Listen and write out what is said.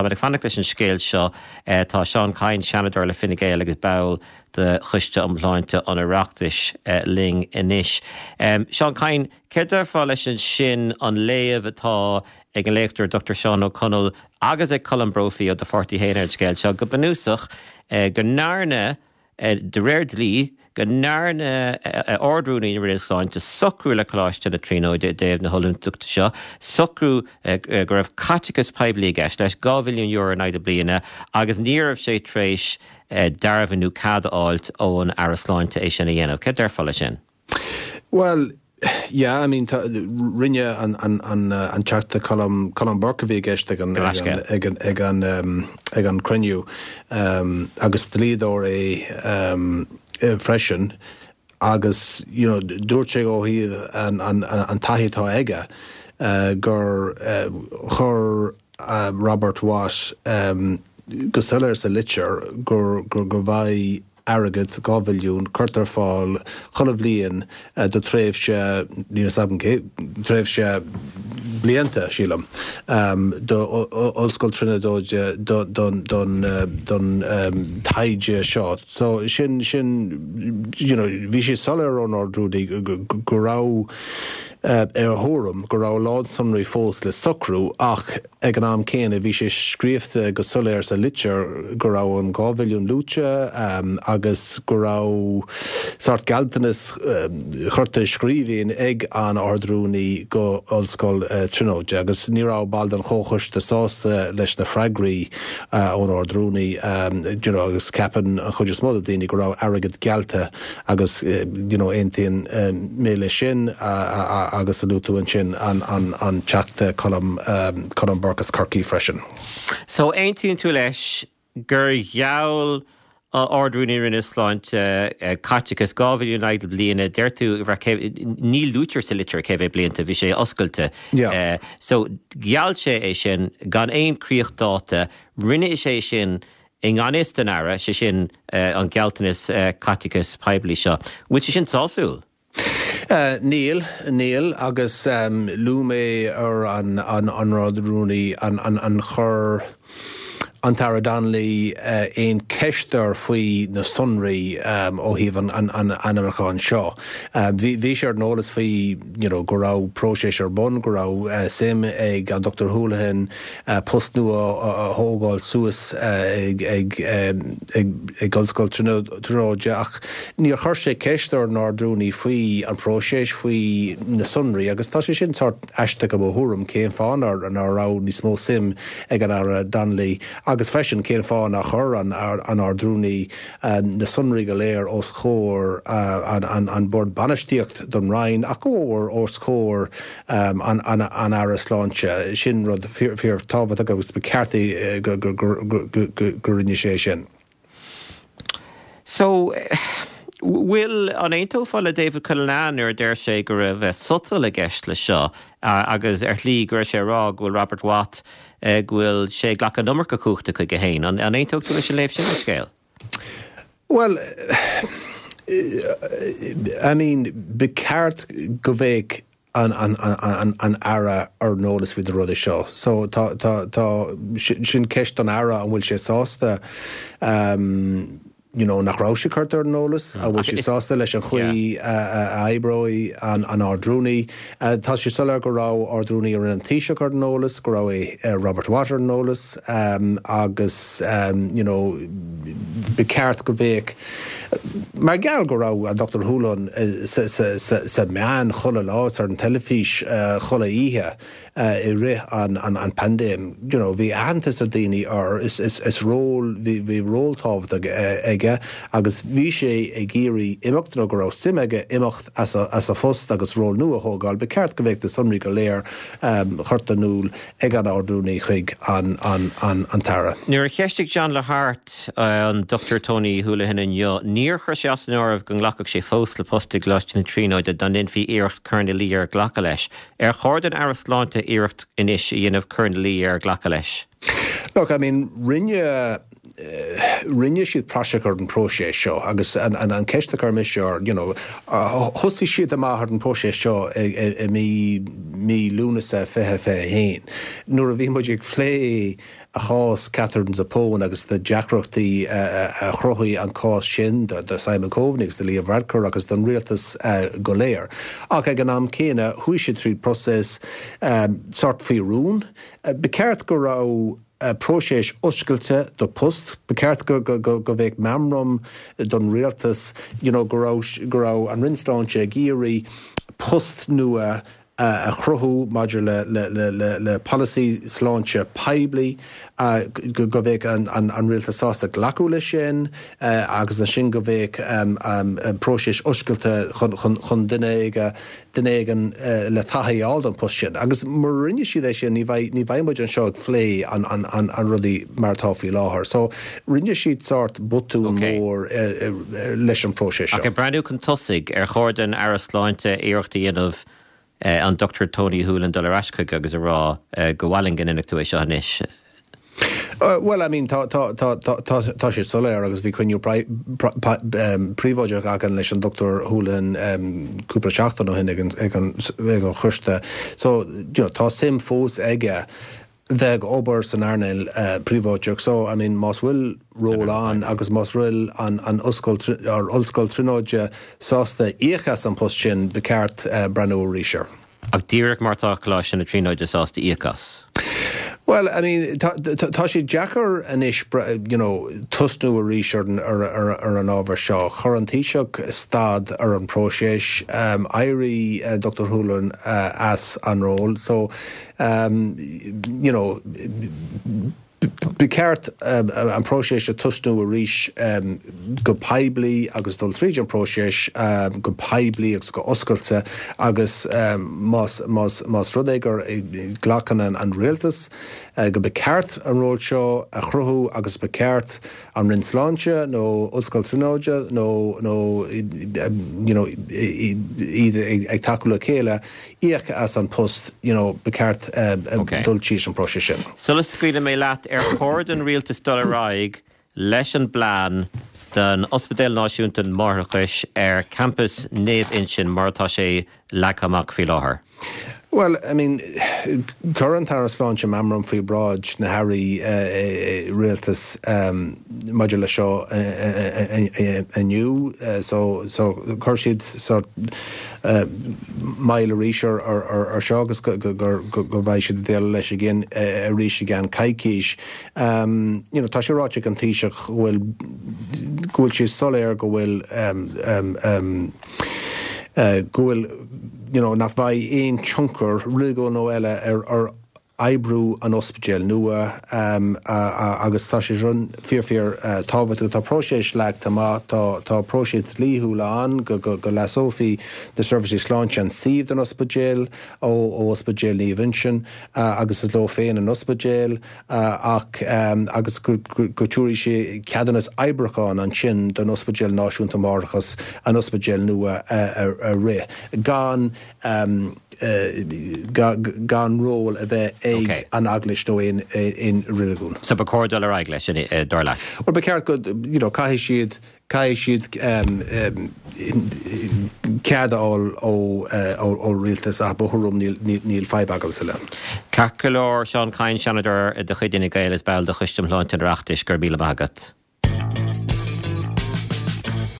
Táimid ag fanacht leis an scéal seo. Tá Seán Kyne, Seanadóir le Fine Gael agus ball de Choiste um Shláinte an Oireachtais linn anois. Seán Kyne, céard a déarfá leis ansin, an léamh atá ag an léachtóir Dr Seán Ó Conaill agus ag Colm Brophy ó do pháirtí féin ar an scéal seo, go bunúsach go ndearna De réir dlí, go ndearna Ard-Rúnaí na Roinne Sláinte socrú le Coláiste na Tríonóide i dtaobh na hollúntachta seo, socrú go raibh caiteachas poiblí i gceist leis, €2 mhilliún in aghaidh na bliana, agus ní raibh sé tar éis dearbhú nó cead a fháilt ón Aire Sláinte é sin a dhéanamh. Céard a déarfá leis sin? Bhuel, yeah, I mean, tá, rinne an, an, an, an Teachta Colm, Colm Burke a bhí i gceist ag an, ag an, ag an, ag an, ag an cruinniú, agus dlíodóir é freisin, agus, you know, dúirt sé ó thaobh an, an, an taithí atá aige, gur chuir Robert Watt go soiléir sa litir gur, gur, go mbeidh airgead, 2 mhilliún, curtha ar fáil chuile bhliain do tréimhse, níl fhios agam cé, tréimhse blianta, sílim, do Ollscoil Tríonóide don don taighde seo. So sin, sin, you know, bhí sé soiléir ón Ard-Rúnaí go raibh, ar a thuairim, go raibh a lán sonraí fós le socrú ach ag an am céanna bhí sé scríofa go soiléir sa litir go raibh an 2 mhilliún luaite agus go raibh sórt gealltanas curtha i scríbhinn ag an Ard-Rúnaí go Ollscoil Tríonóide agus ní raibh baill den Chomhchoiste sásta leis na freagraí ón Ard-Rúnaí you know agus ceapann an chuid is mó de daoine go raibh airgead geallta Agus you know aontaíonn mé leis sin agus a luaigh tú ansin an Teachta Colm Colm Burke as Corcaigh freisin. So aontaíonn tú leis gur gheall Ard-Rúnaí na Roinne Sláinte caiteachas 2 mhilliún in aghaidh na bliana, deir tú, ní luaitear sa litir cé mhéad blianta, bhí sé oscailte. Yeah. So gheall sé é sin gan aon críochdháta, rinne sé sin I ngan fhios don Aire, sé sin an gealltanas caiteachais poiblí seo. Bhfuil sé sin sásúil? Níl, níl, agus luaigh mé ar an Ard-Rúnaí an chuir an tAire Donnelly aon cheist air faoi na sonraí ó thaobh an ainmniúcháin seo. Bhí sé ar an eolas faoi you know go raibh próiseas ar bun, go raibh suim ag an Dr Holohan post nua a thógáil suas ag Ollscoil Tríonóide ach níor chuir sé ceist ar an Ard-Rúnaí faoi an próiseas, faoi na sonraí agus tá sé sin sórt aisteach i mo thuairim, cén fáth ná raibh níos mó suim ag an Aire Donnelly agus freisin cén fáth nár chuir an Ard-Rúnaí na sonraí go léir os comhair an Bord Bainistíocht don Roinn ach go mór os comhair an Aire Sláinte. Sin rud fíor tábhachtach agus ba cheart é go rinne sé sin. So, bhfuil, an aontófá le David Cullinane nuair a deir sé go raibh sotal i gceist le seo agus ar shlí go raibh sé ag rá go bhfuil Robert Watt, go bhfuil sé ag glacadh an iomarca cumhachta chuige féin? An aontódh tú leis an léamh sin ar an scéal? Bhuel, I mean, ba cheart go mbeadh an an Aire ar an eolas faoi na rudaí seo. So tá tá tá sin ceist don Aire an bhfuil sé sásta you know nach raibh sé curtha ar an eolas, an bhfuil sé sásta leis an chaoi a oibreoidh an an Ard-Rúnaí. Tá sé soiléir go raibh Ard-Rúnaí i Roinn an Taoiseach ar an eolas, go raibh Robert Watt ar an eolas agus you know ba cheart go mbeadh, mar gheall go raibh an Dr Holohan sa meáin chuile lá is ar an teilifís chuile oíche i rith an paindéim, you know bhí aitheantas ar daoine air, is ról, bhí ról tábhachtach aige agus bhí sé ag iarraidh imeacht nó go raibh suim aige imeacht as a phost agus ról nua a thógáil, ba cheart go mbeadh na sonraí go léir curtha in iúl ag an Ard-Rúnaí chuig an tAire. Nuair a cheistigh John Lahart an Dr Tony Holohan inniu, níor chuir sé as an áireamh go nglacfadh sé fós le post i gColáiste na Tríonóide dá ndéanfaí iarracht cur ina luí air glacadh leis. Ar chóir don Aire Sláinte iarracht anois a dhéanamh cur ina luí air glacadh leis? Look, I mean, rinne. rinne siad praiseach ar an próiseas seo agus an an ceist a chuir mise ar, you know, thosaigh siad amach ar an próiseas seo i mí mí Lúnasa 2021 nuair a bhí muid ag plé chás Katherine Zappone agus na deacrachtaí a chruthaigh an cás sin do Simon Coveney agus do Leo Varadkar agus don rialtas go léir. Ach ag an am céanna, chuaigh siad tríd próiseas sórt faoi rún. Ba cheart go raibh próiseas oscailte do post. Ba cheart go mbeadh meamram don rialtas you know go raibh go raibh an Roinn Sláinte ag iarraidh post nua a chruthú maidir le polasaí sláinte poiblí, go mbeadh an rialtas sásta glacadh leis sin agus ansin go mbeadh próiseas oscailte chun duine éigin le taithí a fháil don post sin. Agus mura rinne siad é sin, ní bheidh muid anseo ag plé an rudaí mar atá faoi láthair. So, rinne siad sórt botún mór leis an próiseas seo. Ach ag breathnú chun tosaigh, ar chóir don Aire Sláinte iarracht a dhéanamh an Dr Tony Holohan dul ar ais chuige agus a rá go mhaith linn go ndéanfadh tú é seo anois? Bhuel, I mean, tá, tá, tá, tá, tá, tá sé soiléir agus bhí cruinniú príobháideach againn leis an Dr Holohan cúpla seachtain ó shin ag an, ag an, ag an choiste. So, you know, tá suim fós aige bheith ag obair san earnáil príobháideach. So, I mean, más bhfuil ról ann agus más bhfuil an an Ollscoil or Ollscoil Tríonóide sásta íoc as an post sin, ba cheart breathnú arís air. Ach díreach mar tá Coláiste na Tríonóide sásta íoc as. Bhuel, I mean, tá tá sé deacair anois, you know, tosnú arís ar an ar ar ar an ábhar seo. Chuir an Taoiseach stad ar an próiseas, éirigh Dr Holohan as an ról. So, you know, ba cheart an próiseas a tosnú arís go poiblí agus dul tríd an próiseas go poiblí agus go oscailte agus más más más rud é gur glacann an rialtas go ba cheart an ról seo a chruthú agus ba cheart an Roinn Sláinte nó Ollscoil Tríonóide nó nó you know iad ag tacú le chéile íoc as an post, you know, ba cheart dul tríd an próiseas sin. Sula scaoilfidh mé leat, ar chóir don rialtas dul ar aghaidh leis an bplean don Ospidéal Náisiúnta Máithreachais ar champas Naomh Uinseann mar atá sé leagtha amach faoi láthair? Bhuel, I mean, chuir an tAire Sláinte meamram faoi bhráid na hAirí Rialtais maidir leis seo inniu, so chuir siad sort moill arís ar seo agus go mbeidh siad ag déileáil leis again arís i gceann coicís. You know, tá sé ráite ag an Taoiseach go bhfuil go bhfuil sé soiléir go bhfuil go bhfuil you know nach mbeidh aon tionchar reiligiúin nó eile ar ar oibriú an ospidéil nua agus tá sé sin fíor fíor tábhachtach. Tá próiseas leagtha amach, tá tá próiseas dlíthiúil ann go go go leasófaí na seirbhísí sláinte an suíomh don ospidéal ó ó Ospidéal Naomh Uinseann agus is leo féin an ospidéal ach agus go go go dtabharfaidh sé ceadúnas oibriúcháin ansin don Ospidéal Náisiúnta Máithreachais an ospidéal nua a a rith gan gan ról a bheith ag an Eaglais nó aon reiligiún. So ba chóir dul ar aghaidh leis, dar leat? Bhuel, ba cheart go, you know, caithfidh siad, caithfidh siad cead a fháil ó rialtas ach mo thuairim níl, níl fadhb agamsa le. Ceart go leor, Seán Kyne, Seanadóir de chuid Fhine Gael is ball de Choiste um Shláinte an Oireachtais, go raibh míle maith agat.